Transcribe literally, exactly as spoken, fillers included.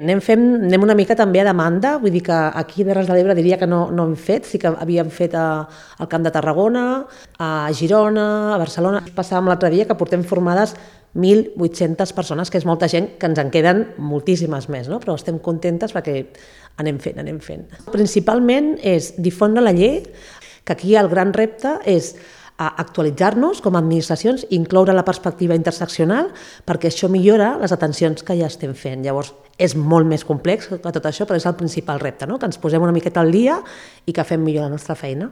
Anem, fent, anem una mica també a demanda, vull dir que aquí a Terres de l'Ebre diria que no, no hem fet, sí que havíem fet a, al Camp de Tarragona, a Girona, a Barcelona. Passàvem l'altre dia que portem formades mil vuit-centes persones, que és molta gent, que ens en queden moltíssimes més, no? Però estem contentes perquè anem fent, anem fent. Principalment és difondre la llei, que aquí el gran repte és a actualitzar-nos com a administracions, incloure la perspectiva interseccional, perquè això millora les atencions que ja estem fent. Llavors, és molt més complex que tot això, però és el principal repte, no? Que ens posem una miqueta al dia i que fem millor la nostra feina.